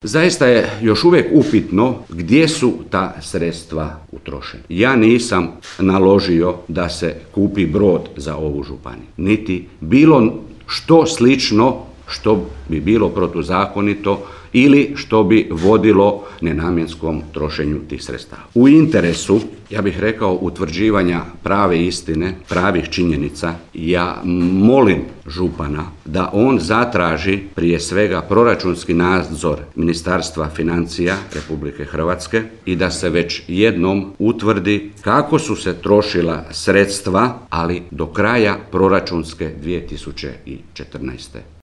Zaista je još uvijek upitno gdje su ta sredstva utrošena. Ja nisam naložio da se kupi brod za ovu županiju, niti bilo što slično što bi bilo protuzakonito ili što bi vodilo nenamjenskom trošenju tih sredstava. U interesu, ja bih rekao, utvrđivanja prave istine, pravih činjenica, ja molim župana da on zatraži prije svega proračunski nadzor Ministarstva financija Republike Hrvatske i da se već jednom utvrdi kako su se trošila sredstva, ali do kraja proračunske 2014.